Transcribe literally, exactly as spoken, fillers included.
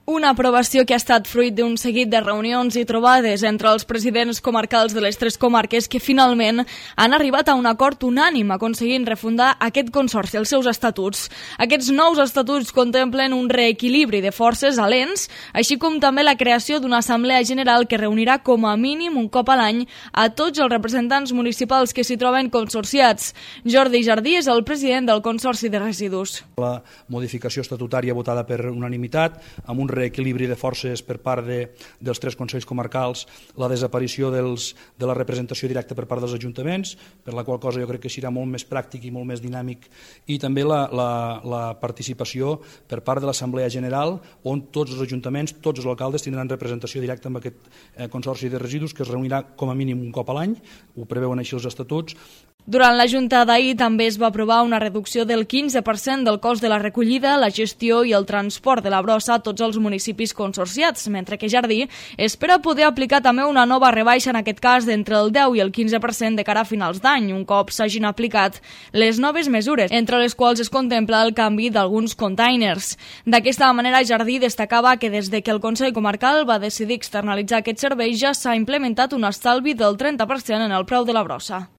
Una aprovació que ha estat fruit d'un seguit de reunions i trobades entre els presidents comarcals de les tres comarques que finalment han arribat a un acord unànime aconseguint refundar aquest consorci, els seus estatuts. Aquests nous estatuts contemplen un reequilibri de forces a l'ens, així com també la creació d'una assemblea general que reunirà com a mínim un cop a l'any a tots els representants municipals que s'hi troben consorciats. Jordi Jardí és el president del Consorci de Residus. La modificació estatutària votada per unanimitat, amb un reequilibri de forces per part de, dels tres consells comarcals, la desaparició dels, de la representació directa per part dels ajuntaments, per la qual cosa jo crec que serà molt més pràctic i molt més dinàmic, i també la, la, la participació per part de l'Assemblea General, on tots els ajuntaments, tots els alcaldes tindran representació directa amb aquest eh, consorci de residus que es reunirà com a mínim un cop a l'any, ho preveuen així els estatuts. Durant la Junta d'ahir també es va aprovar una reducció del quinze per cent del cost de la recollida, la gestió i el transport de la brossa a tots els municipis consorciats, mentre que Jardí espera poder aplicar també una nova rebaixa, en aquest cas d'entre el deu i el quinze per cent de cara a finals d'any, un cop s'hagin aplicat les noves mesures, entre les quals es contempla el canvi d'alguns containers. D'aquesta manera, Jardí destacava que des de que el Consell Comarcal va decidir externalitzar aquest servei ja s'ha implementat un estalvi del trenta per cent en el preu de la brossa.